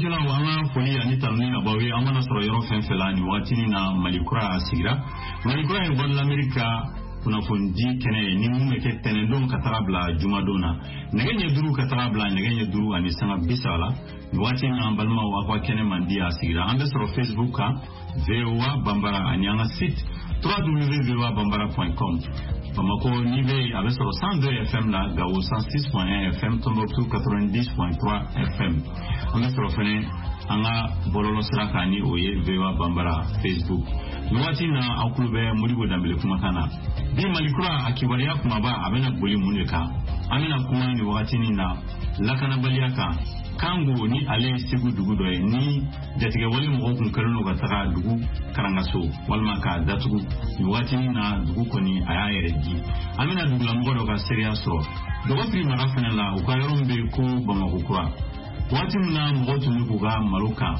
Lamɛnnikɛlaw, an ka foli ani tanuni na b'aw ye an mana sɔrɔ yɔrɔ fɛn fɛn la nin waatinin na. Mali Kura a sigira. Mali Kura ye Voix de l'Amérique ka kunnafonidi kɛnɛ ye ni mun bɛ kɛ tɛnɛndon ka taga bila jumadon na, nɛgɛ ɲɛ 5 ka taga bila nɛgɛ ɲɛ 5:30 la. Nin waati in na, an balimaw, aw ka kɛnɛ man di a sigira. An bɛ sɔrɔ Facebook kan, VOA Bambara, ani an ka site www.voabambara.com. Bamakɔ n'i bɛ yen, a bɛ sɔrɔ 102 FM la, Gawo 106.1 FM, Tombouctou 90.3 FM. An bɛ sɔrɔ fɛnɛ an ka bɔlɔlɔ sira kan, ni o ye VOA Bambara Facebook. Nin waati in na, aw tulo bɛ Modibo Danbele kumakan na. Bi Mali Kura a kibaruya kumaba, a bɛna boli mun de kan? An bɛna kuma nin wagatinin na lakanabaliya kan Kango, ni ale ye Segu dugu dɔ ye, ni jatigɛwale mɔgɔw kun kɛlen don ka taga dugu karangaso walima k'a datugu. Nin waatinin na, dugu kɔni a y'a yɛrɛ di. An bɛna dugulamɔgɔ dɔ ka seereya sɔrɔ Dɔgɔfiri mara fɛnɛ la, u ka yɔrɔ min bɛ yen ko Bamako Kura. Waati min na mɔgɔw tun bɛ k'u ka malo kan,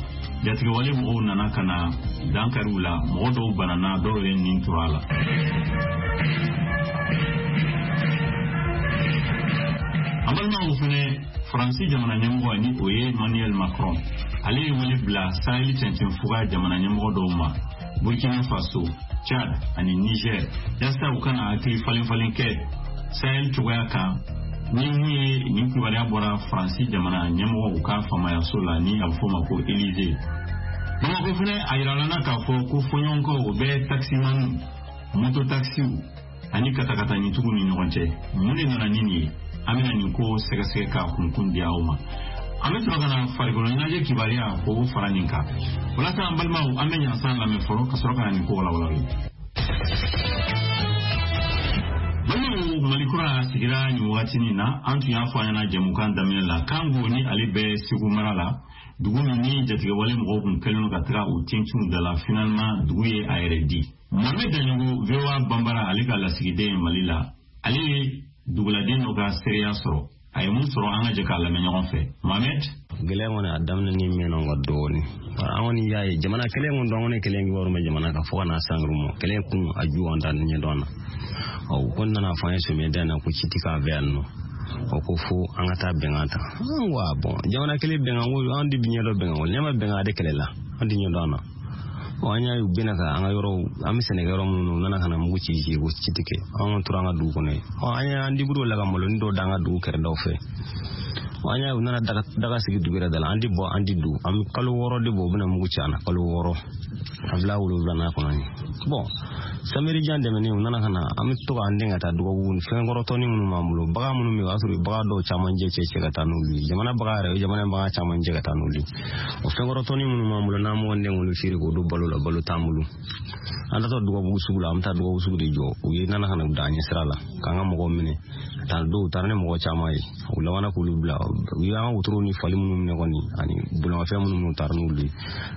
jatigɛwale mɔgɔw nana ka na dankari u la. Mɔgɔ dɔw banana, dɔw yɛrɛ nin tora a la. An balimaw, fɛnɛ Faransi jamana ɲɛmɔgɔ, ni o ye Emmanuel Macron, ale ye wele bila Sahel cɛncɛn fuga jamana ɲɛmɔgɔ dɔw ma, Burkina Faso, Chad ani Niger, yaasa u kana hakili falen falen kɛ Sahel cogoya kan. Ni mun ye, nin kibaruya bɔra Faransi jamana ɲɛmɔgɔw ka faamayaso la, ni a bɛ fɔ o ma ko Élysée. Bamakɔ fɛnɛ, a yirala na k'a fɔ ko fɔɲɔgɔnkɔw, o bɛ taximaniw, moto taxiw ani katakataɲintigiw ni ɲɔgɔn cɛ. Mun de nana ni nin ye? An bɛna nin ko sɛgɛsɛgɛ k'a kunkun di aw ma. An bɛ sɔrɔ ka na farikolo ɲɛnajɛ kibaruya k'o fara nin kan. Walasa an balimaw, an bɛ ɲansan lamɛn fɔlɔ ka sɔrɔ ka na nin ko walawala ye. Balimaw, Mali Kura sigira nin wagatinin na. An tun y'a fɔ an ɲɛna jɛmukan daminɛ la, Kango, ni ale bɛ Segu mara la, dugu min ni jatigɛwale mɔgɔw kun kɛlen don ka taga u tintinw da la, finalement dugu ye a yɛrɛ di. Mohamed Daɲogo, VOA Bambara ale ka lasigiden ye Mali la, ale ye duguladen dɔ ka seereya sɔrɔ. A ye mun sɔrɔ? An ka jɛ k'a lamɛn ɲɔgɔn fɛ. Mohamed. Gɛlɛya kɔni a daminɛ ni mɛnna ka dɔɔni. An kɔni y'a ye jamana kelen kun dɔn, an kɔni kelen kibaru mɛn jamana kan fo ka n'a sanguru ma kɛlɛ kun a ju an ta ɲɛdɔn na. Ɔ, u kɔni nana fɔ an ye sɔmiya da in na ko ci ti k'an fɛ yan nɔ. O ko fo an ka taa bɛnkan ta. An ko a bɔn, jamana kelen bɛnkan ko, an di ɲɛdɔn bɛnkan ko ne ma bɛnkan de kɛlɛ la, an di ɲɛdɔn an na. Ɔ, an y'a ye u bɛna ka an ka yɔrɔw, an bɛ sɛnɛkɛ yɔrɔ minnu, u nana ka na mugu ci ci ko ci ti kɛ. An kɔni tora an ka dugu kɔnɔ yen. Ɔ, an y'an diburu la ka maloni dɔw da an ka dugu kɛrɛdaw fɛ. Ɔ, an y'a ye u nana daga sigi dugu yɛrɛ da la. An ti bɔ, an ti don. An bɛ kalo 6 de bɔ, u bɛna mugu ci an na kalo 6, a bila wolonwulanan kɔnɔ yen. Bɔn, samedi jan tɛmɛnen, u nana ka na an bɛ to k'an den ka taa dɔgɔbugu ni fɛn kɔrɔtɔni minnu b'an bolo, bagan minnu bɛ yen, o y'a sɔrɔ u ye bagan dɔw caman jɛ cɛ cɛ ka taa n'olu ye. Jamana bagan yɛrɛ, o ye jamana bagan caman jɛ ka taa n'olu ye. O fɛn kɔrɔtɔni minnu b'an bolo, n'an b'o den k'olu feere k'o don balo la, balo t'an bolo. An taatɔ dɔgɔbugu sugu la, an bɛ taa dɔgɔbugu sugu de jɔ, u ye nana ka na u da an ɲɛ sira la k'an ka mɔgɔw minɛ ka taa. Dɔw taara ni mɔgɔ caman ye, u labanna k'olu bila. U y'an ka wotorow ni fali minnu minɛ kɔni, ani bolimafɛn minnu minɛ, u taara n'olu ye,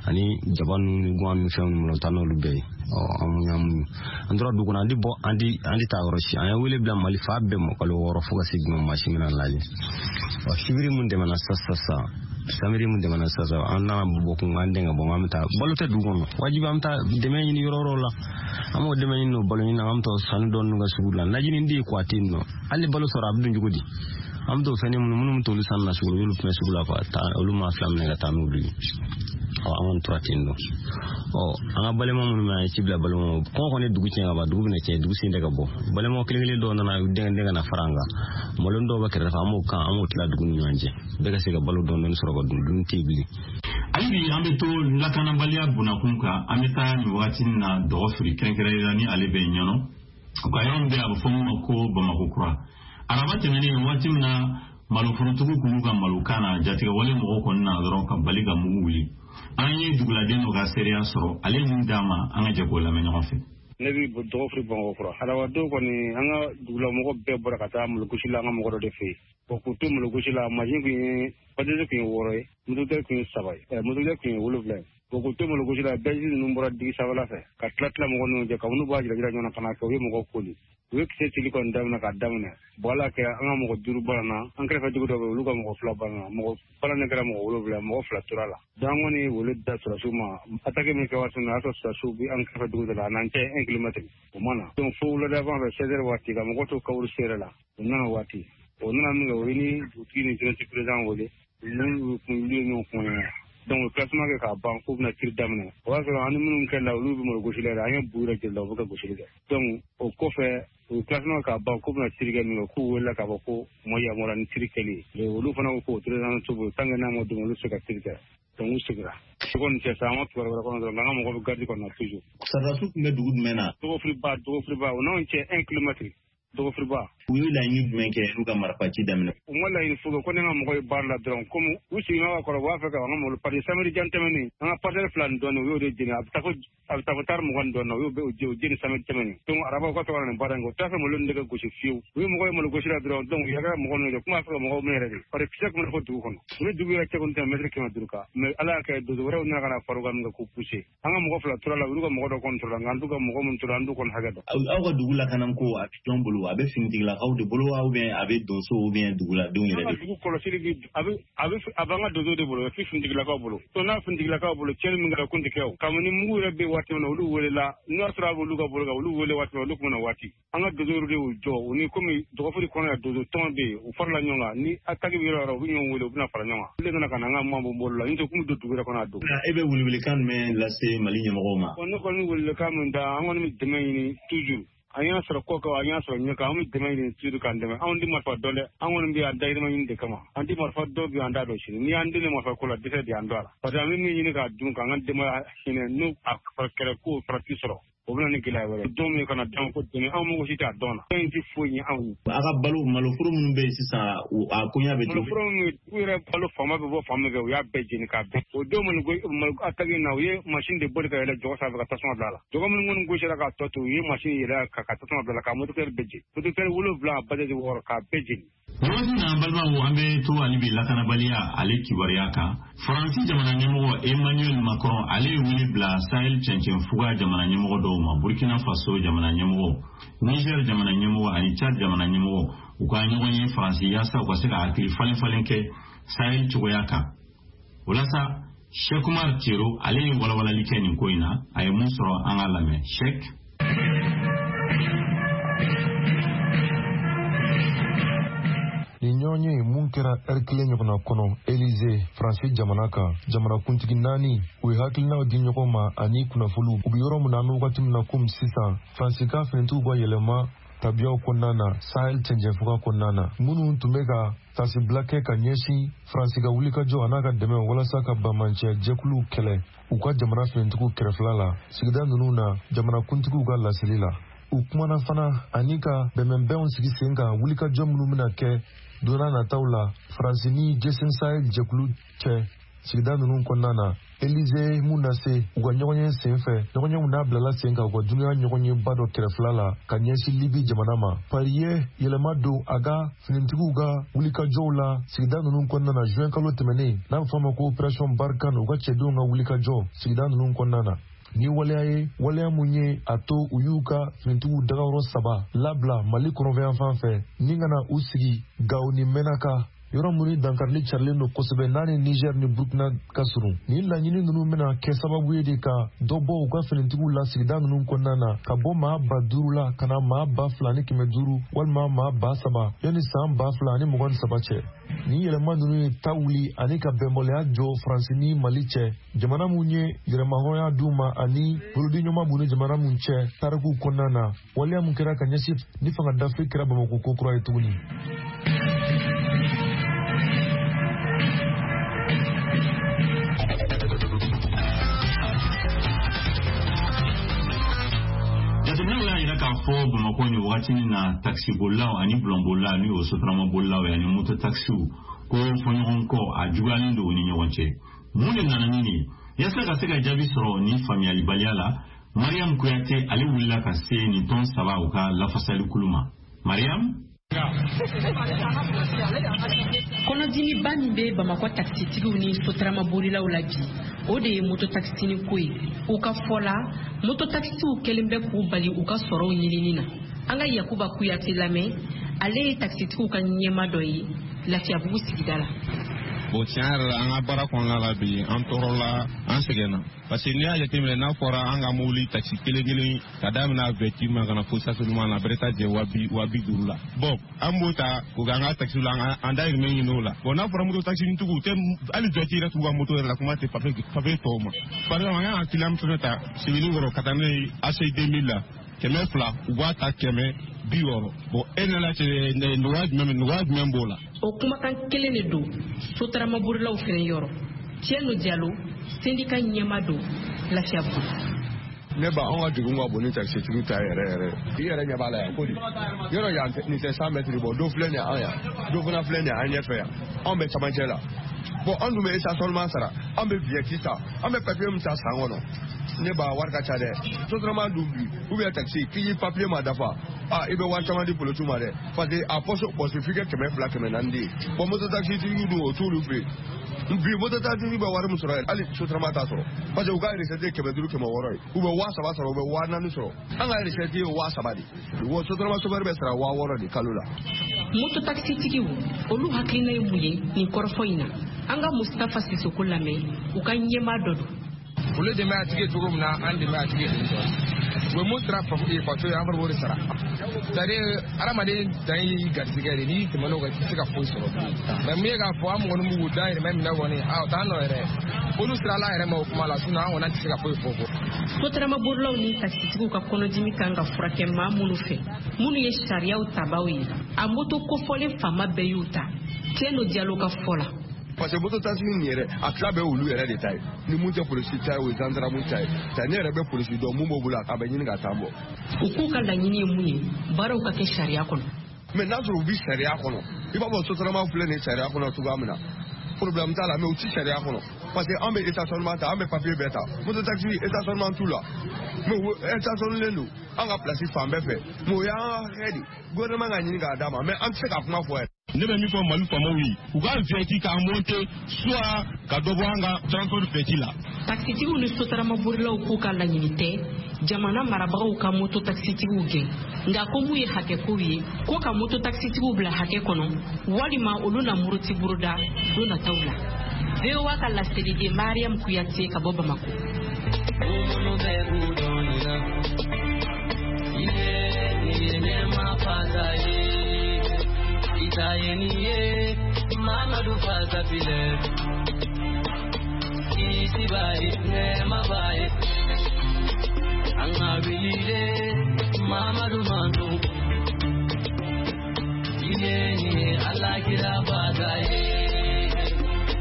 ani jaba ninnu ni guwan ni fɛn minnu minɛ, u taara n'olu bɛɛ ye. Ɔ, an y'an muɲu, an tora dugu kɔnɔ, an ti bɔ, an ti taa yɔrɔ si. An ye wele bila Mali fan bɛɛ ma kalo 6 fo ka se bi ma, maa si mana lajɛ. Ɔ, sibiri mun tɛmɛna sisan, samedi mun tɛmɛna sisan, an nana bɔ kun an den ka bɔ, an bɛ taa balo tɛ dugu kɔnɔ, wajibi an bɛ taa dɛmɛ ɲini yɔrɔ wɛrɛw la. An b'o dɛmɛ ɲini, o balo ɲini, an bɛ taa sanni dɔɔni ka sugu la. Najini den ko a tɛ yen nɔ, hali balo sɔrɔ a bɛ dun cogo di? An bɛ t'o fɛn minnu bɛ t'olu san na sugu la, olu tun bɛ sugu la ka taa, olu maa fila minɛ ka taa n'olu ye. Ɔ, an kɔni tora ten nɔ. Ɔ, an ka balima minnu bɛ, an ye ci bila balimaw, kɔngɔ kɔni dugu tiɲɛ ka ban, dugu bɛna tiɲɛ, dugu sen tɛ ka bɔ. Balimaw kelen kelen dɔw nana den den ka na fara an kan. Malo dɔw bɛ kɛrɛfɛ, an b'o kan, an b'o tila dugu ni ɲɔgɔn cɛ, bɛɛ ka se ka balo dɔɔni dɔɔni sɔrɔ ka dun. Dun tɛ yen bilen. Hali bi an bɛ to lakanabaliya bunakun kan. An bɛ taa nin wagati na Dɔgɔfiri, kɛrɛnkɛrɛnnenya ni ale bɛ Ɲɔnɔ, u ka yɔrɔ min bɛ a bɛ fɔ min ma ko Bamako Kura. Araba tɛmɛnen, waati min na maloforotigiw kun b'u ka malokan na, jatigɛwale mɔgɔw kɔni na dɔrɔn ka bali ka mugu wuli. An ye duguladen dɔ ka seereya sɔrɔ. Ale ye mun d'an ma? An ka jɛ k'o lamɛn ɲɔgɔn fɛ. Ne bi Dɔgɔfiri Bamakɔ Kura. Adamadenw kɔni, an ka dugulamɔgɔ bɛɛ bɔra ka taa malogosi la an ka mɔgɔ dɔ de fɛ yen. Bon, k'u to malogosi la, mansin kun ye batisi kun ye 6 ye, mototɛ kun ye 3 ye, mototɛ kun ye 7 ye. Bon, k'u to malogosi la, bɛzi ninnu bɔra digi sanfɛla fɛ ka tila tila mɔgɔ ninnu cɛ, kabini b'a jira jira ɲɔgɔn na ka na kɛ u ye mɔgɔ koli. U ye kisɛ cili kɔni daminɛ k'a daminɛ. Bon, ala kɛra an ka mɔgɔ 5 banana, an kɛrɛfɛ dugu dɔ bɛ, olu ka mɔgɔ 2 banana, mɔgɔ bananen kɛra mɔgɔ 7, mɔgɔ 2 tora la. Donc an kɔni wele da sɔrɔdasiw ma, attaque min kɛ waati min na, o y'a sɔrɔ sɔrɔdasiw bɛ an kɛrɛfɛ dugu dɔ la, a n'an cɛ 1 kilomètre, o ma na. Donc fo wulada fan fɛ, 16 heures waati, ka mɔgɔ to kaburu sen yɛrɛ la, u nana waati. O nana min kɛ, o ye ni dugutigi ni jeunesse président wele, n'u kun ye ɲɔgɔn kun. Donc o classement kɛ k'a ban k'u bɛna tir daminɛ. O y'a sɔrɔ an ni minnu kɛla olu bɛ malo gosi la yɛrɛ, an ye bu yɛrɛ jeli la, u bɛ ka gosili kɛ. Donc o kɔfɛ u classement k'a ban k'u bɛna tir kɛ min kɛ, k'u welela k'a fɔ ko u ma yamaruya ni tir kɛli ye. Olu fana ko k'o autorisation t'u bolo, tant que n'a ma d'u ma olu tɛ se ka tir kɛ. Donc u seginna. O kɔni cɛ sa, an ma kibaruya wɛrɛ kɔnɔ dɔrɔn, nka an ka mɔgɔ bɛ garde kɔnɔ toujours. Sɔrɔdasiw tun bɛ dugu jumɛn na? Dɔgɔfiriba, o n'anw cɛ 1 kilomètre. Dɔgɔfiriba. U ye laɲini jumɛn kɛ n'u ka marifa ci daminɛ? U ma laɲini foyi kɛ, ko ne ka mɔgɔ ye baara la dɔrɔn, komi u sigiɲɔgɔn ka kɔrɔ, u b'a fɛ ka an ka malo parce que samedi jan tɛmɛnen, an ka parcelle 2 ni dɔɔnin, u y'o de jeni, a bɛ taa fo tari 20 ni dɔɔnin na, u y'o jeni samedi tɛmɛnen. Donc araba u ka to ka na nin baara in kɛ, u t'a fɛ malo ninnu de ka gosi fiyewu. U ye mɔgɔ ye malo gosi la dɔrɔn, donc u yɛrɛ mɔgɔ ninnu de, kuma b'a fɛ ka mɔgɔw minɛ yɛrɛ de. Parce que kisɛ tun bɛ fɔ dugu kɔnɔ. U ni dugu yɛrɛ cɛ kɔni tɛ mètre 500 kan, mais Ala y'a kɛ donso wɛrɛw nana ka na far'u kan min kɛ k'u pousser. An ka mɔgɔ 2 tora la, olu ka mɔgɔ dɔ kɔni tora la, nka an t'u ka mɔgɔ minnu tora, an t'u kɔni hakɛ dɔn. Aw ka dugu lakanako a bɛ jɔn bolo? A bɛ finitigilakaw de bolo wa, ou bien a bɛ donso ou bien duguladenw yɛrɛ de? Dugu kɔlɔsili bɛ a b'an ka donso de bolo, a bɛ finitigilakaw bolo. Donc n'a finitigilakaw bolo, tiɲɛni min kɛra kun tɛ kɛ o. Kabini mugu yɛrɛ bɛ waati min na, olu welela, n'o y'a sɔrɔ a b'olu ka bolo kan, olu wele waati min na, olu tun bɛ na waati. An ka donso de y'u jɔ, u ni komi dɔgɔfiri kɔnɔ yan donso tɔn bɛ yen, u farala ɲɔgɔn kan, ni attaque bɛ yɔrɔ o yɔrɔ, u bɛ ɲɔgɔn wele, u bɛna fara ɲɔgɔn kan. Olu de nana ka na an ka maaw bolo la, n'o tɛ kun bɛ don dugu yɛrɛ kɔnɔ a don. E bɛ welewelekan jumɛn lase Mali ɲɛmɔgɔw ma? Ne kɔni bɛ welewelekan min da, an kɔni bɛ dɛmɛ ɲini toujours. An y'a sɔrɔ kɔ kan, an y'a sɔrɔ ɲɛ kan, an bɛ dɛmɛ ɲini toujours k'an dɛmɛ. Anw tɛ marifa dɔn dɛ, an kɔni bɛ yan dahirimɛ ɲini de kama. An tɛ marifa dɔn bi, an t'a dɔn sini. N'i y'an deli marifa ko la, dɛsɛ de y'an don a la. Parce que an bɛ min ɲini k'a dun, k'an ka denbaya hinɛ, n'o a kɛlɛ ko farati sɔrɔ, o bɛna ni gɛlɛya wɛrɛ. Don min kana dɔn ko dɛmɛ, anw mago si t'a dɔn na. Fɛn tɛ foyi ɲɛ anw ye. A ka balo maloforo minnu bɛ yen sisan, a koɲa bɛ cogo? Maloforo minnu u yɛrɛ balo fanba bɛ bɔ fan min fɛ, u y'a bɛɛ jeni k'a bɛɛ. O don malo attaque in na, u ye machine de boli ka yɛlɛ jɔgɔ sanfɛ ka tasuma bila a la. Jɔgɔ minnu kɔni gosira k'a tɔ to, u ye machine yɛlɛ ka tasuma bila a la, ka moteur bɛɛ jeni. Moteur 7 bajaj 6 k'a bɛɛ jeni. Waati na an balimaw, an bɛ to hali bi lakanabaliya ale kibaruya kan. Faransi jamana ɲɛmɔgɔ Emmanuel Macron, ale ye wele bila Sahel cɛncɛnfuga jamana ɲɛmɔgɔ dɔw ma, Burkina Faso jamana ɲɛmɔgɔ, Niger jamana ɲɛmɔgɔ ani Tchad jamana ɲɛmɔgɔ, u ka ɲɔgɔn ye Faransi yaasa u ka se ka hakili falen falen kɛ Sahel cogoya kan. O la sa, Cheikh Oumar Thiero, ale ye walawalali kɛ nin ko in na, a ye mun sɔrɔ an ka lamɛn. Cheikh. Nin ɲɔgɔn ye mun kɛra ɛri kelen ɲɔgɔnna kɔnɔ Elize, Faransi jamana kan, jamanakuntigi 4 u ye hakilinaw di ɲɔgɔn ma ani kunnafoniw. U bɛ yɔrɔ min na an bɛ wagati min na komi sisan, Faransi ka finitigiw ka yɛlɛma tabiyaw kɔnɔna na, Sahel cɛncɛnfuga kɔnɔna na, minnu tun bɛ ka tasibila kɛ ka ɲɛsin Faransi ka wulikajɔ an'a ka dɛmɛ walasa ka banbaanciya jɛkuluw kɛlɛ u ka jamana finitigiw kɛrɛfɛla la, sigida ninnu na, jamanakuntigiw ka laseli la. U kumana fana ani ka bɛnbɛnbɛnw sigi sen kan wulikajɔ minnu bɛna kɛ don n'a nataw la Faransi ni G5 Sahel jɛkulu cɛ sigida ninnu kɔnɔna na. Elize mun na se u ka ɲɔgɔnye sen fɛ, ɲɔgɔnye mun n'a bilala sen kan u ka dunuya ɲɔgɔnyeba dɔ kɛrɛfɛla la ka ɲɛsin Libi jamana ma. Paris ye yɛlɛma don a ka finitigiw ka wulikajɔw la sigida ninnu kɔnɔna na juin kalo tɛmɛnen, n'a bɛ fɔ a ma ko opération Barkhane, u ka cɛdenw ka wulikajɔ sigida ninnu kɔnɔna na. Ni waleya ye waleya mun ye a to u y'u ka finitigiw dagayɔrɔ 3 labila Mali kɔrɔnfɛyanfan fɛ ni ka na u sigi Gawo ni Mɛnaka, yɔrɔ mun ni dankarili carilen don kosɛbɛ n'a ni Niger ni Burkina ka surun. Nin laɲini ninnu bɛna kɛ sababu ye de ka dɔ bɔ u ka finitigiw la sigida ninnu kɔnɔna na, ka bɔ maa 5000 la ka na maa 2500 walima maa 3000 yanni san 2023 cɛ. Nin yɛlɛma ninnu ye ta wuli ani ka bɛnbaliya jɔ Faransi ni Mali cɛ, jamana mun ye yɛrɛmahɔrɔnya d'u ma ani bolodiɲɔgɔnma b'u ni jamana mun cɛ tarikuw kɔnɔna na. Waleya mun kɛra ka ɲɛsin ni fanga dafiri kɛra Bamakɔ ko kura ye tuguni. Jateminɛw y'a jira k'a fɔ Bamakɔ nin wagati in na takisibolilaw ani bulɔnbolilaw ni o sotarama-bolilaw ye ani moto takisiw ko fɔɲɔgɔnkɔ a juguyalen don u ni ɲɔgɔn cɛ. Mun de nana ni nin ye? Yaasa ka se ka jaabi sɔrɔ nin faamuyalibaliya la, Mariam Kuyate ale wulila ka se nin tɔn 3 u ka lafasalikulu ma. Mariam? Kɔnɔdimiba min bɛ Bamakɔ takisitigiw ni sotaramabolilaw la bi, o de ye mototakisini ko ye. U ka fɔ la, mototakisiw kɛlen bɛ k'u bali u ka sɔrɔw ɲinini na. An ka Yakuba Kuyate lamɛn, ale ye takisitigiw ka ɲɛma dɔ ye Lafiyabugu sigida la. Bon, tiɲɛ yɛrɛ la, an ka baara kɔnɔna la bi, an tɔɔrɔla, an sɛgɛnna. Parce que n'i y'a jateminɛ, n'a fɔra an ka mobili taxi kelen kelen ka daminɛ voiture ma ka na fo stationnement la, a bɛrɛ taa jɛ 50 000 la. Bon, an b'o ta k'o kɛ an ka taxi la, an dahirimɛ ɲini o la. Bon, n'a fɔra moto taxinitigiw tɛ hali voiture yɛrɛ t'u ka moto yɛrɛ la, kuma tɛ papier tɔw ma. Par exemple, an kan ka client fɛn ta Sebenikɔrɔ ka taa n'a ye AC 2000 la, 200, u b'a ta 160. Bon, e nana cɛ, nɔgɔya jumɛn b'o la? O kumakan kelen de don sotaramaborilaw fɛnɛ yɔrɔ. Tiɲɛno Jalo, sendika ɲɛma don Lafiyabugu. Ne ba, anw ka degun ka bon ni takisitigiw ta yɛrɛ yɛrɛ. I yɛrɛ ɲɛ b'a la yan ko di yɔrɔ yan, nin tɛ 100 mètres bɔ. Dɔ filɛ nin ye an yan, dɔ fana filɛ nin ye an ɲɛfɛ yan, anw bɛ camancɛ la. Bon, an dun bɛ stationnement sara, an bɛ vignette ta, an bɛ papier min ta san kɔnɔ, ne ba, wari ka ca dɛ. Sotrama dun bi, ou bien taxi, k'i k'i papier ma dafa, ah, i bɛ wari caman di polisiw ma dɛ, parce que a poste poste f'i ka 200, 400 di. Bon, moto taxi tigiw dun, o t'olu fɛ yen. Bi moto taxi bɛ wari min sɔrɔ, hali sotrama t'a sɔrɔ, parce que u ka recette ye 500, 600 ye. U bɛ 3000 sɔrɔ, u bɛ 4000 sɔrɔ. An ka recette ye 3000 de ye. Wa sotrama chauffeur bɛ sara 6000 de kalo la. Moto takisitigiw, olu hakilina ye mun ye nin kɔrɔfɔ in na? An ka Mustafa Sisoko lamɛn, u ka ɲɛmaa dɔ don. Olu dɛmɛ a tigi ye cogo min na, an dɛmɛ a tigi ye ten tɔ. U bɛ mun sara faso ye, an fana b'o de sara. C'est à dire, hadamaden dan y'i garijɛgɛ de, n'i tɛmɛn'o kan, i tɛ se ka foyi sɔrɔ. Mais min ye k'a fɔ an mɔgɔnin b'u dahirimɛ minɛ kɔni, a o t'an nɔ yɛrɛ. Olu sera Ala yɛrɛ ma o kuma la, sinon an kɔni, an tɛ se ka foyi fɔ. Sotaramaborilaw ni takisitigiw ka kɔnɔdimi kan ka furakɛ maa minnu fɛ, minnu ye sariyaw tabaw ye, a moto kofɔlen faama bɛɛ y'u ta, Tiɲɛno Jalo ka fɔ la. Parce que moto taxi nin yɛrɛ, a tila bɛɛ olu yɛrɛ de ta ye. Ni mun tɛ polisi ta ye, o ye gendarme ta ye. Ta ne yɛrɛ bɛ polisi dɔn, mun b'o bolo, a bɛ ɲini ka taa bɔ. U k'u ka laɲini ye mun ye? Baaraw ka kɛ sariya kɔnɔ. Mais n'a sɔrɔ u bi sariya kɔnɔ, i b'a fɔ sotrama filɛ nin sariya kɔnɔ cogoya min na, problème t'a la. Mais u ti sariya kɔnɔ, parce que an bɛ stationnement ta, an bɛ papier bɛɛ ta. Moto taxi stationnement t'u la, mais u stationnement don an ka place fan bɛɛ fɛ. Mais o y'an ka hakɛ de, gouvernement ka ɲini k'a d'a ma. Mais an tɛ se ka kuma fɔ yɛrɛ. Ne bɛ min fɔ Mali faamaw ye, u ka vignette k'a monter, soit ka dɔ bɔ an ka transport vignette la. Takisitigiw ni sotaramaborilaw k'u ka laɲini tɛ jamana marabagaw ka moto takisitigiw gɛn, nka ko mun ye hakɛkow ye, ko ka moto takisitigiw bila hakɛ kɔnɔ, walima olu na muruti boroda don nataw la. VOA ka laseliden Mariam Kuyate ka bɔ Bamako. Minnu bɛ k'u dɔɔnin na, i ye nin ye nɛɛma fasa ye, i ta ye nin ye Mamadu fasa filɛ, kisi b'a ye, nɛɛma b'a ye, an ka wuli de Mamadu manto, i ye nin ye Alakira fasa ye,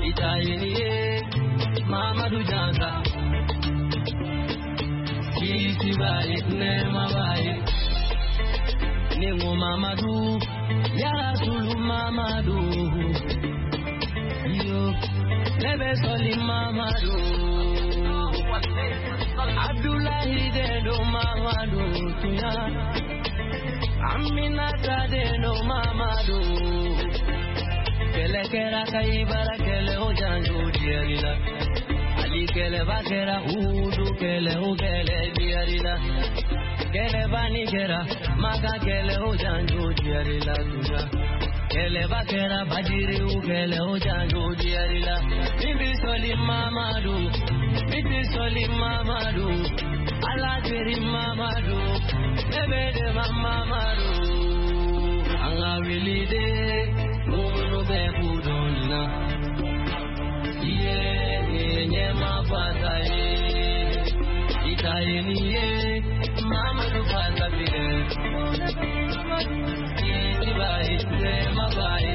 i ta ye nin ye Mamadu jansa. Kisi b'a ye, nɛɛma b'a ye. Ne ko Mamadu, ya Rasulu Mamadu, yo ne bɛ sɔli Mamadu, Abdulahi den don Mamadu tunya, Aminata den don Mamadu. Kɛlɛ kɛra Kayibara, kɛlɛ o janjo diyar'i la. Ali kɛlɛba kɛra Udu, kɛlɛ o kɛlɛ diyar'i la. Kɛlɛba ni kɛra Maka, kɛlɛ o janjo diyar'i la tunya. Kɛlɛba kɛra Badiriw, kɛlɛ o janjo diyar'i la. Min bi sɔli Mamadu, min ti sɔli Mamadu, Ala teri Mamadu, ne bɛ dɛmɛ Mamadu. An ka wuli de, minnu bɛ k'u dɔɔnin na. I ye nin ye ɲɛma fasa ye, i ta ye nin ye Mamadu fasa filɛ. Kisi b'a ye, nɛɛma b'a ye.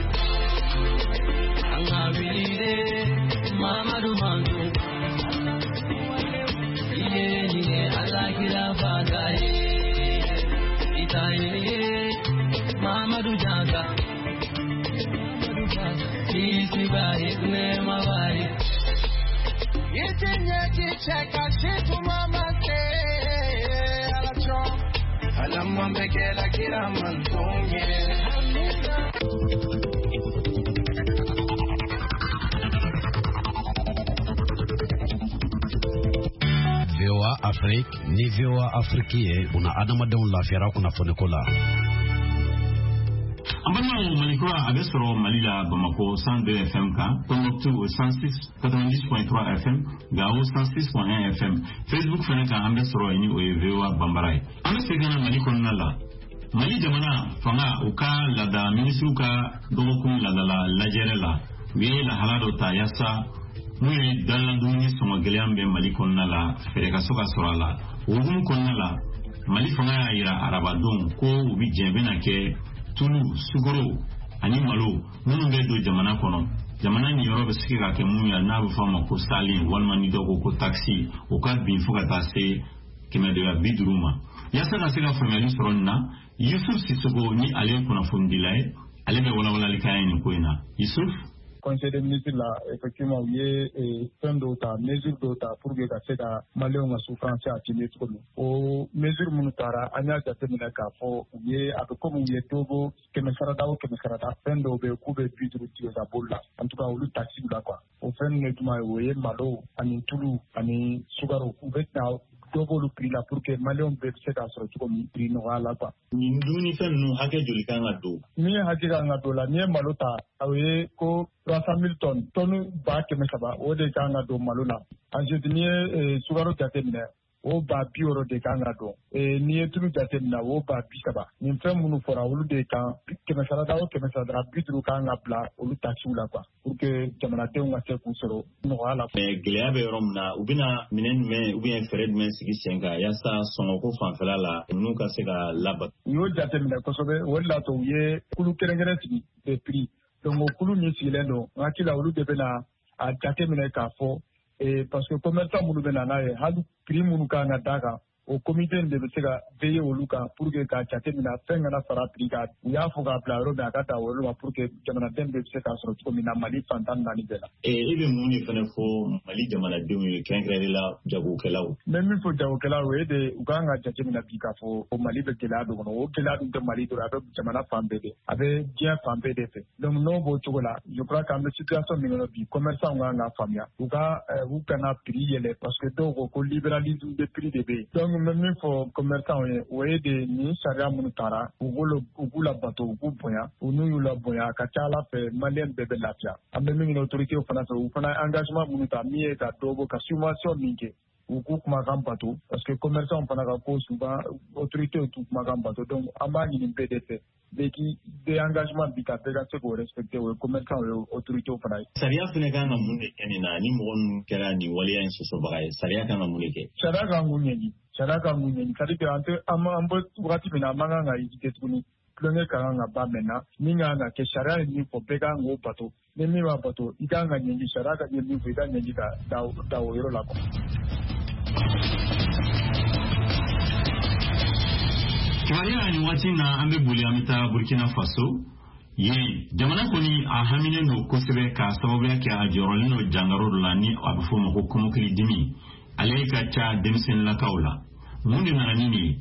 An ka wuli de, Mamadu manto. I ye nin ye Alakira fasa ye, i ta ye nin ye Mamadu jansa. Kisi b'a ye, nɛɛma b'a ye. Itinye cheka shitu mama se alacho alamambekela kila mantonye. VOA Afrique ni VOA Afrique ye, una adamadenw lafiyara kunnafoniko la. An balimaw, Malikura a bɛ sɔrɔ Mali la, Bamakɔ 102 FM kan, Tombouctou 106 90.3 FM, Gao 106.1 FM. Facebook fɛnɛ kan, an bɛ sɔrɔ yen ni o ye VOA Bambara ye. An bɛ segin ka na Mali kɔnɔna la. Mali jamana fanga, u ka laada minisiriw ka dɔgɔkun laadala lajɛrɛ la, u ye lahala dɔ ta yaasa n'o ye daladumuni sɔngɔ gɛlɛya bɛ Mali kɔnɔna la, fɛɛrɛ ka se ka sɔrɔ a la. O hukumu kɔnɔna la, Mali fanga y'a yira arabadon ko u bi jɛn bɛna kɛ tulu, sukoro ani malo minnu bɛ don jamana kɔnɔ, jamana niyɔrɔ bɛ se ka kɛ mun ye, n'a bɛ fɔ a ma ko salen walima ni dɔw ko ko taxe, o ka bin fo ka taa se 150 ma. Yaasa ka se ka faamuyali sɔrɔ nin na, Yusuf Sisoko ni ale ye kunnafonidila ye, ale bɛ walawalali k'an ye nin ko in na. Yusuf. Conseil des ministres la, effectivement, u ye fɛn dɔw ta, mesure dɔw ta pour que ka se ka Maliyɛnw ka souffrance atténuer cogo min. O mesure minnu taara, an y'a jateminɛ k'a fɔ u ye, a bɛ komi u ye dɔ bɔ 100 sarada o 100 sarada, fɛn dɔw bɛ yen k'u bɛ 50 tigɛ ka b'olu la, en tout cas olu taxe la quoi. O fɛn ninnu ye jumɛn ye? O ye malo ani tulu ani sukaro. U bɛ na dɔ b'olu prix la pour que Maliyɛnw bɛɛ bɛ se k'a sɔrɔ cogo min prix nɔgɔya la quoi. Nin dumunifɛn ninnu hakɛ joli kan ka don? Min ye hakɛ kan ka don la, n'i ye malo ta, o ye ko 300 000 tonnes, tonne 300 000, o de kan ka don malo la. Ensuite, n'i ye sukaro jateminɛ, o 60 000 de kan ka don. N'i ye tulu jateminɛ, o 30 000. Nin fɛn minnu fɔra, olu de kan 100 sarada o 100 sarada, 50 kan ka bila olu taxew la quoi, pour que jamanadenw ka se k'u sɔrɔ nɔgɔya la. Gɛlɛya bɛ yɔrɔ min na, u bɛna minɛn jumɛn ou bien fɛɛrɛ jumɛn sigi sen kan yaasa sɔngɔko fanfɛla la ninnu ka se ka labato? U y'o jateminɛ kosɛbɛ. O de la to u ye kulu kɛrɛnkɛrɛn sigi des prix. Donc o kulu min sigilen don, n hakili la, olu de bɛna a jateminɛ k'a fɔ, parce que commerçant minnu bɛ na n'a ye, hali prix minnu kan ka d'a kan, o comité de bɛ se ka veiller olu kan pour que k'a jateminɛ fɛn kana fara prix kan. U y'a fɔ k'a bila yɔrɔ min, a ka da o yɔrɔ ma pour que jamanaden bɛɛ bɛ se k'a sɔrɔ cogo min na Mali fan 14 bɛɛ la. E bɛ mun de fana fɔ Mali jamanadenw ye, kɛrɛnkɛrɛnnen la jagokɛlaw? N bɛ min fɔ jagokɛlaw, o ye de u kan ka jateminɛ bi k'a fɔ ko Mali bɛ gɛlɛya dɔ kɔnɔ. O gɛlɛya dun tɛ Mali dɔrɔn, a bɛ jamana fan bɛɛ de, a bɛ diɲɛ fan bɛɛ de fɛ. Donc n'o b'o cogo la, je crois qu'an bɛ situation min kɔnɔ bi, commerçant kan ka faamuya, u ka u kana prix yɛlɛ, parce que dɔw ko ko libéralisme de prix de bɛ yen. Donc n bɛ min fɔ commerçant ye, o ye de nin sariya minnu taara, u k'u labato, u k'u bonya. U n'u y'u labonya, a ka ca Ala fɛ, Maliyɛn bɛɛ bɛ lafiya. An bɛ min ɲini autorité fana fɛ, u fana engagement minnu ta, min ye ka dɔ bɔ ka subvention min kɛ, u k'u kumakan bato, parce que commerçant fana ka ko, souvent autorité t'u kumakan bato. Donc an b'a ɲini bɛɛ de fɛ, bɛɛ k'i bɛɛ engagement bi ta, bɛɛ ka se k'o respecter, o ye commerçant, o ye autorité fana ye. Sariya fana kan ka mun de kɛ nin na? Ni mɔgɔ minnu kɛra nin waleya in sɔsɔbaga ye, sariya kan ka mun de kɛ? Sariya kan k'u ɲɛgi, sariya kan k'u ɲɛgi. C'est à dire que an tɛ an bɛ wagati min na, an man kan ka hésiter tuguni. Tulonkɛ ka kan ka ban maintenant. Min kan ka kɛ, sariya ye min fɔ, bɛɛ kan k'o bato. Ni min b'a bato, i kan ka ɲɛgi. Sariya ka ye min fɔ, i ka ɲɛgi ka da o yɔrɔ la quoi. Kibaruya nin waati in na, an bɛ boli, an bɛ taa Burkina Faso. Yen jamana kɔni, a haminen don kosɛbɛ k'a sababuya kɛ a jɔrɔlen don jangaro dɔ la ni a bɛ fɔ o ma ko kɔmɔkili dimi. Ale ka ca denmisɛnninlakaw la. Mun de nana ni nin ye?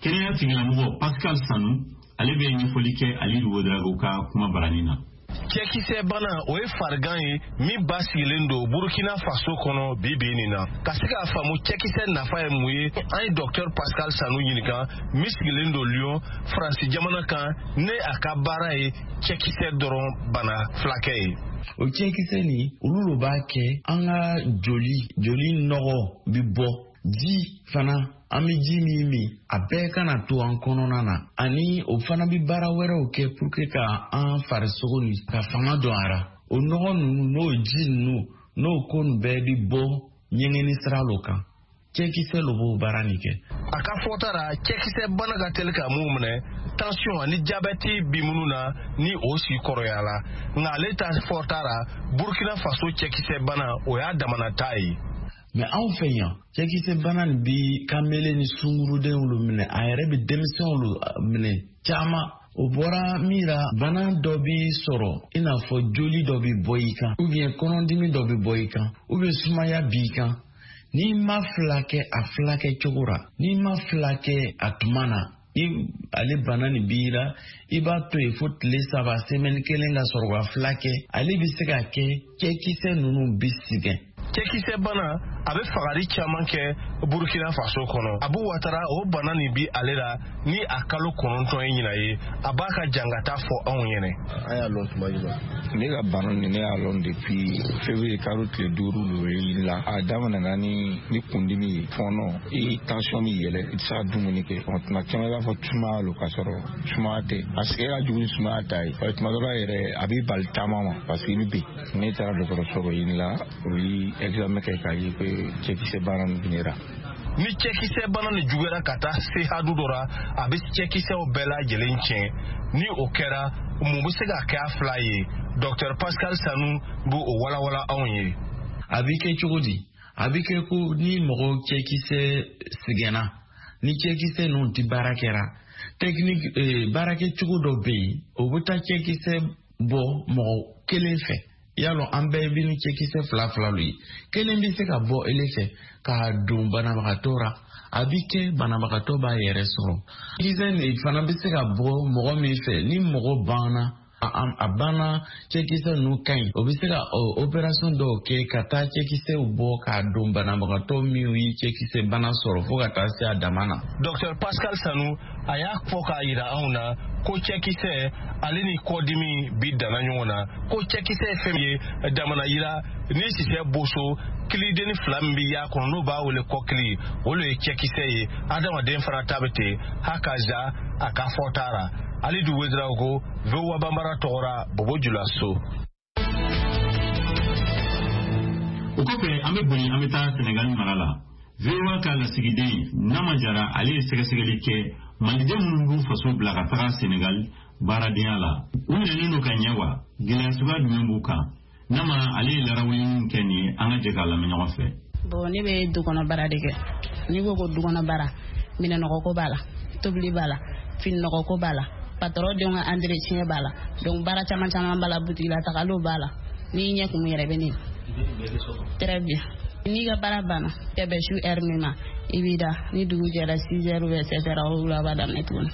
Kɛnɛya tigilamɔgɔ Pascal Sanu, ale bɛ ɲɛfɔli kɛ Alidu Wodrago ka kuma barani na. Cɛkisɛ bana, o ye farigan ye min basigilen don Burkina Faso kɔnɔ bi bi nin na. Ka se k'a faamu cɛkisɛ nafa ye mun ye, an ye Docteur Pascal Sanu ɲininka, min sigilen don Lyon, Faransi jamana kan, ne a ka baara ye cɛkisɛ dɔrɔn bana fulakɛ ye. O cɛkisɛ nin, olu lo b'a kɛ an ka joli nɔgɔ bi bɔ, ji fana, an bɛ ji min min, a bɛɛ kana to an kɔnɔna na, ani o fana bɛ baara wɛrɛw kɛ pour que ka an farisogo nin ka fanga don a ra. O nɔgɔ ninnu n'o ji ninnu n'o ko nin bɛɛ bɛ bɔ ɲɛgɛnni sira lo kan. Cɛkisɛ lo b'o baara nin kɛ. A ka fɔta la, cɛkisɛ bana ka teli ka mun minɛ, tension ani jabɛti bi minnu na ni o si kɔrɔyala. Nka ale ta fɔta la, Burkina Faso cɛkisɛ bana, o y'a damana ta ye. Mɛ anw fɛ yan, cɛkisɛ bana nin bi kamele ni sungurudenw lo minɛ, a yɛrɛ bɛ denmisɛnw lo minɛ caman. O bɔra min ra, bana dɔ b'i sɔrɔ, i n'a fɔ joli dɔ bɛ bɔ i kan, ou bien kɔnɔdimi dɔ bɛ bɔ i kan, ou bien sumaya b'i kan. N'i ma fila kɛ a filakɛ cogo ra, n'i ma fila kɛ a tuma na, ni ale bana nin b'i la, i b'a to yen fo tile 3, semaine kelen, ka sɔrɔ ka fila kɛ, ale bɛ se ka kɛ cɛkisɛ ninnu bɛ sɛgɛn. Cɛkisɛ bana a bɛ fagali caman kɛ Burkina Faso kɔnɔ. Abu Watara, o bana nin bi ale la ni a kalo 9 ye ɲinan ye. A b'a ka jangata fɔ anw ɲɛnɛ. An y'a lɔn tuma jumɛn? Ne ka bana nin, ne y'a lɔn depuis février kalo tile 5 lo ye la. A daminɛna ni kundimi ye, fɔɔnɔ, i tension bɛ yɛlɛ, i tɛ se ka dumuni kɛ. Tuma caman i b'a fɔ sumaya lo, k'a sɔrɔ sumaya tɛ, parce que e ka jugu ni sumaya ta ye. Tuma dɔ la yɛrɛ a b'i bali taama ma, parce que i bɛ bin. Ne taara dɔgɔtɔrɔso dɔ ɲini la, u ye examen kɛ k'a ye ko cɛkisɛ bana nin bɛ. Ni cɛkisɛ bana nin juguyara ka taa se hadu dɔ la, a bɛ cɛkisɛw bɛɛ lajɛlen tiɲɛ. Ni o kɛra, mun bɛ se ka kɛ a fila ye? Docteur Pascal Sanu b'o walawala anw ye. A bɛ kɛ cogo di? A bɛ kɛ ko ni mɔgɔ cɛkisɛ sɛgɛnna, ni cɛkisɛ ninnu tɛ baara kɛra, technique baarakɛcogo dɔ bɛ yen, o bɛ taa cɛkisɛ bɔ mɔgɔ kelen fɛ. Yalɔ an bɛɛ bɛ ni cɛkisɛ fila fila lo ye, kelen bɛ se ka bɔ ele fɛ k'a don banabagatɔ ra, a bɛ kɛ banabagatɔ b'a yɛrɛ sɔrɔ. Kisɛ nin fana bɛ se ka bɔ mɔgɔ min fɛ, ni mɔgɔ banna, a banna cɛkisɛ ninnu ka ɲi, o bɛ se ka opération dɔw kɛ ka taa cɛkisɛw bɔ k'a don banabagatɔ minnu ye cɛkisɛ bana sɔrɔ fo ka taa se a dama na. Docteur Pascal Sanu a y'a fɔ k'a yira anw na ko cɛkisɛ ale ni kɔdimi bi danna ɲɔgɔn na, ko cɛkisɛ ye fɛn ye damana yira ni sisɛ boso kilidenni fila min bɛ y'a kɔnɔ n'o b'a wele kɔkili, o le ye cɛkisɛ ye. Adamaden fana ta bɛ ten hakaza a ka fɔta ra. Alidu Wedraogo, VOA Bambara tɔgɔra Bobo Julaso. O kɔfɛ an bɛ boli, an bɛ taa Senegal mara la. VOA ka lasigiden Nama Jara, ale ye sɛgɛsɛgɛli kɛ maliden minnu b'u faso bila ka taga Senegal baaradenya la. U minɛnen don ka ɲɛ wa? Gɛlɛya suguya jumɛn b'u kan? Nama ale ye larawulini kɛ nin ye, an ka jɛ k'a lamɛn ɲɔgɔn fɛ. Bon, ne bɛ dukɔnɔ baara de kɛ. N'i ko ko dukɔnɔ baara, minɛnɔgɔko b'a la, tobili b'a la, fininɔgɔko b'a la, patron denw ka entretien b'a la, donc baara caman caman b'a la, butigi la tagaliw b'a la. N'i ɲɛ kumu yɛrɛ bɛ ne. Très bien. N'i ka baara banna, ka bɛn su heure min ma, i b'i da. Ni dugu jɛra 6 heures ou bien 7 heures, aw wula b'a daminɛ tuguni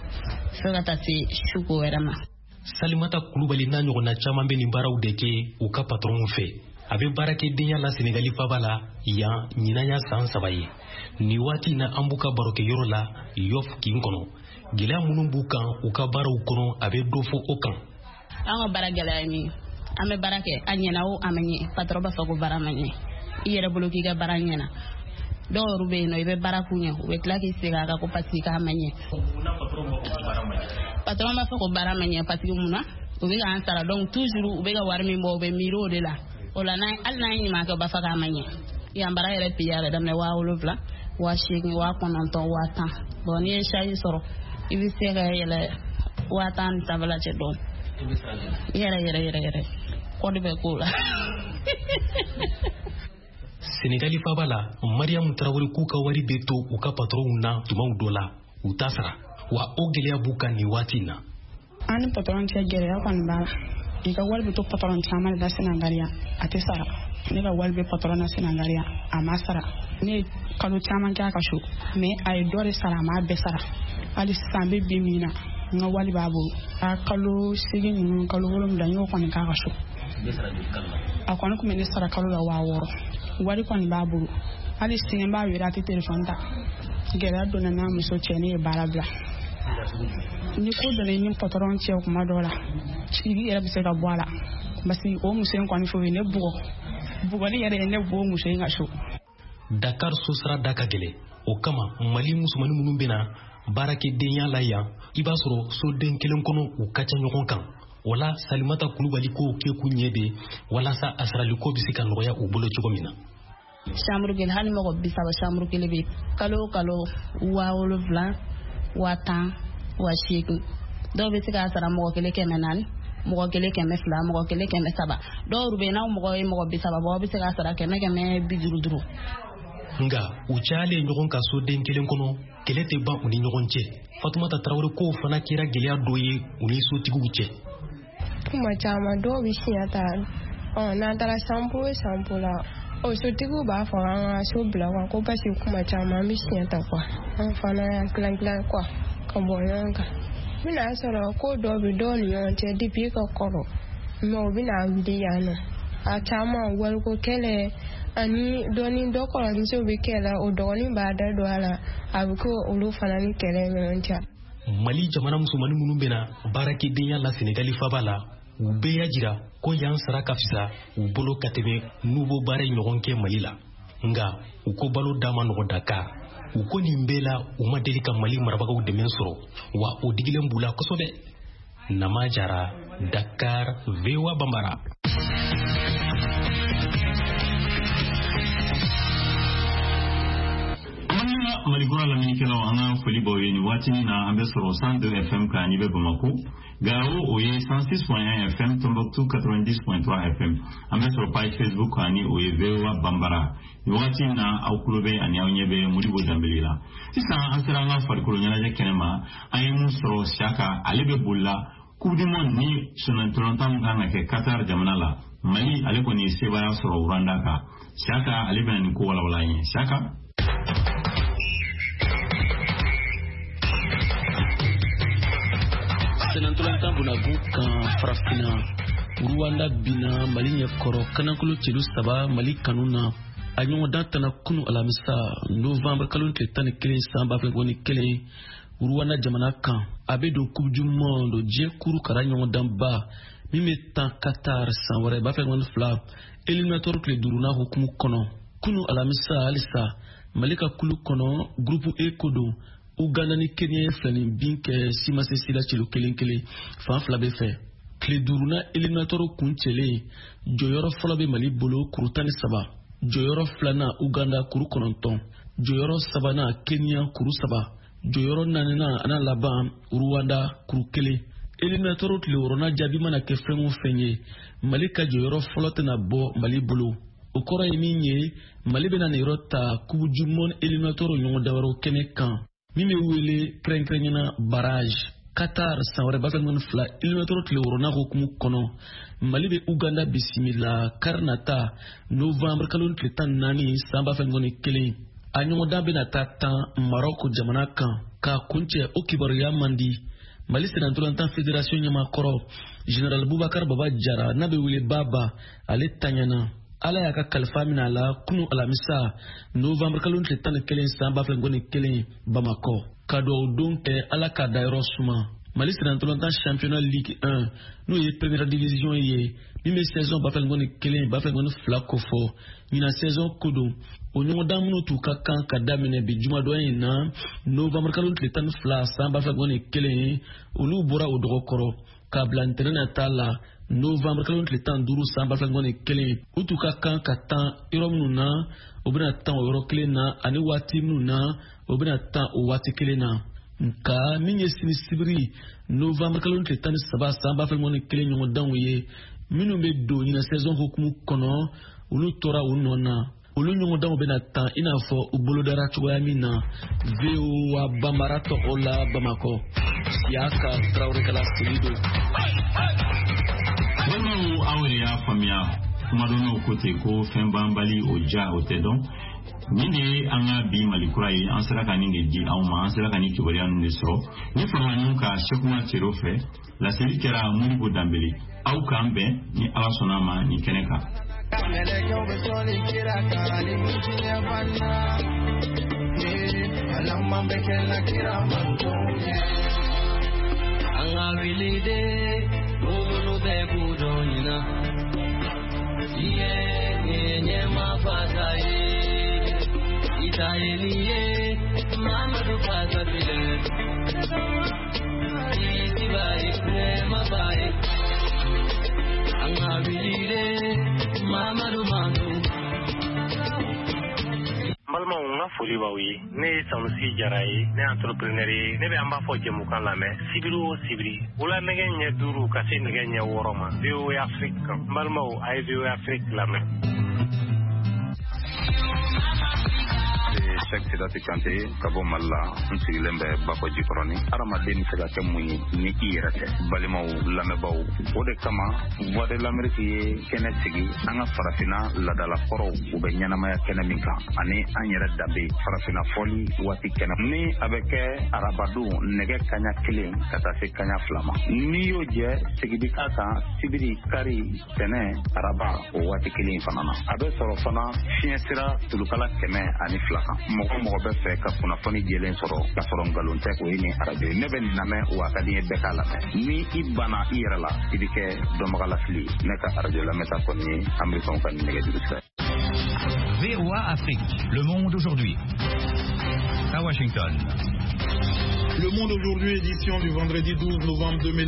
fo ka taa se su ko wɛrɛ ma. Salimata Kulubali n'a ɲɔgɔnna caman bɛ nin baaraw de kɛ u ka patronw fɛ. A bɛ baarakɛdenya la Senegali faba la yan ɲinan y'a san 3 ye. Nin waati in na, an b'u ka barokɛyɔrɔ la Yoff kin kɔnɔ. Gɛlɛya minnu b'u kan u ka baaraw kɔnɔ, a bɛ dɔ fɔ o kan. An ka baara gɛlɛya ye min ye, an bɛ baara kɛ, a ɲɛna o a ma ɲɛ, patron b'a fɔ ko baara ma ɲɛ. I yɛrɛ bolo k'i ka baara ɲɛna. Dɔw yɛrɛ bɛ yen nɔ, i bɛ baara k'u ɲɛ, u bɛ tila k'i segin a kan ko parce que k'a ma ɲɛ. Patron b'a fɔ ko baara ma ɲɛ parce que mun na, u bɛ k'an sara, donc toujours u bɛ ka wari min bɔ, u bɛ miiri o de la. O la hali n'an ye ɲuman kɛ, u b'a fɔ k'a ma ɲɛ. Yan baara yɛrɛ paye a bɛ daminɛ 7,000, 8,000, 9,000, 10,000. Bon, n'i ye charge sɔrɔ, i bɛ se ka yɛlɛ 10,000 ni sanfɛla cɛ dɔɔni. Yɛrɛ yɛrɛ yɛrɛ yɛrɛ kɔdi bɛ k'o la. Senegali faba la, Mariamu Tarawele k'u ka wari bɛ to u ka patronw na tumaw dɔ la, u t'a sara. Wa o gɛlɛya b'u kan nin waati in na. An ni patron cɛ gɛlɛya kɔni b'a la. I ka wari bɛ to patron caman de la Senegali yan, a tɛ sara. Ne ka wari bɛ patron na Senegali yan, a ma sara. Ne ye kalo caman kɛ a ka so, mais a ye dɔ de sara, a m'a bɛɛ sara. Hali sisan n bɛ bi min na, n ka wari b'a bolo. A kalo 8 ninnu, kalo 7, n y'o kɔni k'a ka so. A kɔni tun bɛ ne sara kalo la 6,000. Wari kɔni b'a bolo. Hali sini n b'a wele, a tɛ telefɔni ta. Gɛlɛya donna n'a muso cɛ, ne ye baara bila. Ni ko donna i ni patron cɛ kuma dɔ la, i yɛrɛ bɛ se ka bɔ a la. Parce que o muso in kɔni fɛ, o ye ne bugɔ. Bugɔli yɛrɛ ye ne bɔ o muso in ka so. Dakar so sira da ka gɛlɛn. O kama Mali musomanin minnu bɛ na baarakɛdenya la yan, i b'a sɔrɔ soden kelen kɔnɔ u ka ca ɲɔgɔn kan. O la Salimata Kulubali k'o kɛ k'u ɲɛ de walasa a saraliko bɛ se ka nɔgɔya u bolo cogo min na. Chambre kelen, hali mɔgɔ 30 chambre kelen bɛ kalo o kalo 7,000, 10,000, 8,000. Dɔw bɛ se k'a sara mɔgɔ kelen 400, mɔgɔ kelen 200, mɔgɔ kelen 300. Dɔw bɛ yen, n'aw mɔgɔ ye mɔgɔ 30 bɔ, aw bɛ se k'a sara 100 155. Nka u cayalen ɲɔgɔn kan soden kelen kɔnɔ, kɛlɛ tɛ ban u ni ɲɔgɔn cɛ. Fatumata Tarawele k'o fana kɛra gɛlɛya dɔ ye u ni sotigiw cɛ. Kuma caman dɔw bɛ siɲɛ ta, n'an taara sanpo sanpo la, o sotigiw b'a fɔ an ka so bila quoi, ko parce que kuma caman an bɛ siɲɛ ta quoi, an fana y'an tilan tilan quoi ka bɔ ɲɔgɔn kan. I bɛna sɔrɔ ko dɔw bɛ dɔw ni ɲɔgɔn cɛ depuis ka kɔrɔ, mais u bɛna wuli yan nɔ. A caman wariko kɛlɛ, Ani dɔ ni dɔ kɔrɔmuso bɛ kɛlɛ la, o dɔgɔnin b'a da don a la, a bɛ kɛ olu fana ni kɛlɛ ɲɔgɔn cɛ. Mali jamana musomannin minnu bɛna baarakɛdenya la Senegali faba la, u bɛɛ y'a jira ko yan sara ka fisa u bolo ka tɛmɛ n'u b'o baara ɲɔgɔn kɛ Mali la. Nka u ko balo da ma nɔgɔ Dakar. U ko nin bɛɛ la u ma deli ka Mali marabagaw dɛmɛ sɔrɔ, wa o digilen b'u la kosɛbɛ. Nama Jara, Dakar, VOA Bambara. Malikura lamɛnnikɛlaw, an ka foli b'aw ye nin waatinin na. An bɛ sɔrɔ 102 FM kan n'i bɛ Bamako. Gawo, o ye 106.1 FM, Tombouctou 90.3 FM. An bɛ sɔrɔ page Facebook kan ni o ye VOA Bambara. Nin waati in na, aw tulo bɛ ani aw ɲɛ bɛ Modibo Danbele la. Sisan an sera an ka farikolo ɲɛnajɛ kɛnɛ ma. An ye mun sɔrɔ Siyaka, ale bɛ boli la Coupe du monde ni sennantolatan min kan ka kɛ Qatar jamana la. Mali ale kɔni ye sebaaya sɔrɔ Rwanda kan. Siyaka ale bɛna nin ko walawala an ye. Siyaka. Sennantolatan bunagun kan farafinna, Rwanda binna Mali ɲɛkɔrɔ kanankolo celu 3 Mali kanu na. A ɲɔgɔndan tana kunu alamisa novembre kalo tile 11 san 2021 Rwanda jamana kan. A bɛ don Coupe du monde diɲɛ kuru kara ɲɔgɔndanba min bɛ tan Qatar san wɛrɛ 2022 éliminatoire tile duurunan hukumu kɔnɔ. Kunu alamisa halisa Mali ka kulu kɔnɔ, groupe E ko don, Uganda ni Kenya ye filanin bin kɛ simase sila celu 1-1 fan fila bɛ fɛ. Tile duurunan éliminatoire kuncɛlen, jɔyɔrɔ fɔlɔ bɛ Mali bolo kuru 13, jɔyɔrɔ filanan Uganda kuru 9, jɔyɔrɔ sabanan Kenya kuru 3, jɔyɔrɔ naaninan ana laban Rwanda kuru 1. Éliminatoire tile wɔɔrɔnan jaabi mana kɛ fɛn o fɛn ye, Mali ka jɔyɔrɔ fɔlɔ tɛna bɔ Mali bolo. O kɔrɔ ye min ye, Mali bɛna niyɔrɔ ta Coupe du monde éliminatoire ɲɔgɔndan wɛrɛw kɛnɛ kan min bɛ wele kɛrɛnkɛrɛnyana barrage. Qatar san wɛrɛ 2022 éliminatoire tile wɔɔrɔnan hukumu kɔnɔ, Mali bɛ Uganda bisimila kari nata novembre kalo tile 14 san 2021. A ɲɔgɔndan bɛna taa tan Maroc jamana kan. K'a kuncɛ, o kibaruya man di. Mali sennantolatan fédération ɲɛmaakɔrɔ Général Boubacar Baba Jara, n'a bɛ wele Baba, ale taɲana. Ala y'a ka kalifa minɛ a la kunu alamisa novembre kalo tile 11 san 2021 Bamakɔ. Ka duwawu don kɛ Ala k'a dayɔrɔ suma. Mali sennantolatan championnat Ligue 1, n'o ye première division ye min bɛ saison 2021 2022 kofɔ, ɲinan saison ko don. O ɲɔgɔndan minnu t'u ka kan ka daminɛ bi jumadon in na novembre kalo tile 12 san 2021, olu bɔra o dɔgɔkɔrɔ k'a bila ntɛnɛn nata la novembre kalo tile 15 san 2021. U t'u ka kan ka tan yɔrɔ minnu na, o bɛna tan o yɔrɔ kelen na, ani waati minnu na, o bɛna tan o waati kelen na. Nka min ye sini sibiri novembre kalo tile 13 san 2021 ɲɔgɔndanw ye minnu bɛ don ɲinan saison hukumu kɔnɔ, olu tora u nɔ na. Olu ɲɔgɔndanw bɛna tan i n'a fɔ u bolodara cogoya min na. VOA Bambara tɔgɔ la Bamakɔ, Siyaka Tarawele kala seli don. Balimaw, aw yɛrɛ y'a faamuya, kumadɔnnaw ko ten ko fɛn banbali o ja o tɛ dɔn. Nin de ye an ka bi Mali kura ye. An sera ka nin de di aw ma, an sera ka nin kibaruya ninnu de sɔrɔ ni farala ɲɔgɔn kan Sekuma Cero fɛ. Laseli kɛra Modibo Danbele. Aw k'an bɛn ni Ala sɔnna a ma nin kɛnɛ kan. An ka wuli de, minnu bɛ k'u dɔn ɲina. Iye ɲɛma fasa ye, i ta ye nin ye, Mamadu fasa filɛ. Isi b'a ye, nɛɛma b'a ye. An ka wuli de, Mamadu Mandu. N balimaw, n ka foli b'aw ye. Ne ye Sanusi Jara ye, ne ye entrepreneur ye. Ne bɛ an b'a fɔ jɛmukan lamɛn sibiri o sibiri wula nɛgɛ ɲɛ 5 ka se nɛgɛ ɲɛ 6 ma VOA Afrique kan. N balimaw, a ye VOA Afrique lamɛn. Cheick Sidati Kante ka bɔ Mali la, n sigilen bɛ Bakɔ Jikɔrɔni. Hadamaden bɛ se ka kɛ mun ye ni i yɛrɛ tɛ? Balimaw, lamɛnbaaw, o de kama Voix de l'Amérique ye kɛnɛ sigi an ka farafinna laadalakɔrɔw u bɛ ɲɛnamaya kɛnɛ min kan, ani an yɛrɛ danbe farafinna fɔli waati kɛnɛ ni a bɛ kɛ arabadon nɛgɛ kaɲa 1 ka taa se kaɲa 2 ma. N'i y'o jɛ, segin bi k'a kan sibiri, kari, tɛnɛ, araba o waati kelen in fana na. A bɛ sɔrɔ fana fiɲɛ sira tulukala 102 kan. Mɔgɔ mɔgɔ bɛ fɛ ka kunnafoni jɛlen sɔrɔ k'a sɔrɔ nkalon tɛ, o ye nin arajo ye. Ne bɛ nin lamɛn wa a ka di n ye bɛɛ k'a lamɛn. Ni i banna i yɛrɛ la, i bɛ kɛ dɔnbagalafili ye. Ne ka arajo lamɛnta kɔni ye Amerikɛnw ka nin nɛgɛjuru sira ye. VOA Afrique, Le Monde aujourd'hui. À Washington. Le Monde aujourd'hui, édition du vendredi 12 novembre 2000.